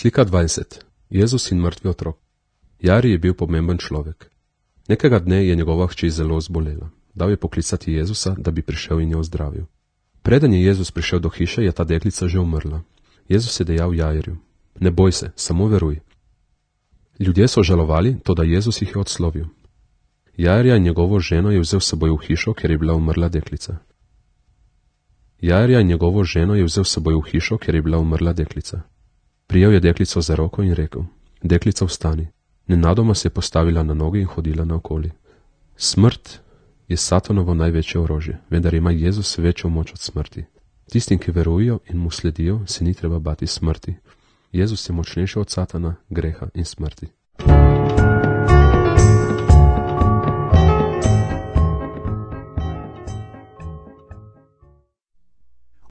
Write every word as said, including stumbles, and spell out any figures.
Slika dvajset. Jezus in mrtvi otrok. Jari je bil pomemben človek. Nekega dne je njegova hči zelo zbolela. Dal je poklicati Jezusa, da bi prišel in jo ozdravil. Preden je Jezus prišel do hiše, je ta deklica že umrla. Jezus je dejal Jairju: ne boj se, samo veruj. Ljudje so žalovali, toda Jezus jih je odslovil. Jairja in njegovo ženo je vzel s seboj v hišo, ker je bila umrla deklica. Jairja in njegovo ženo je vzel s seboj v hišo, ker je bila umrla deklica. Prijel je deklico za roko in rekel: deklica, vstani. Nenadoma se je postavila na noge in hodila naokoli. Smrt je satanovo največje orožje, vendar ima Jezus večjo moč od smrti. Tistim, ki verujejo in mu sledijo, se ni treba bati smrti. Jezus je močnejši od satana, greha in smrti.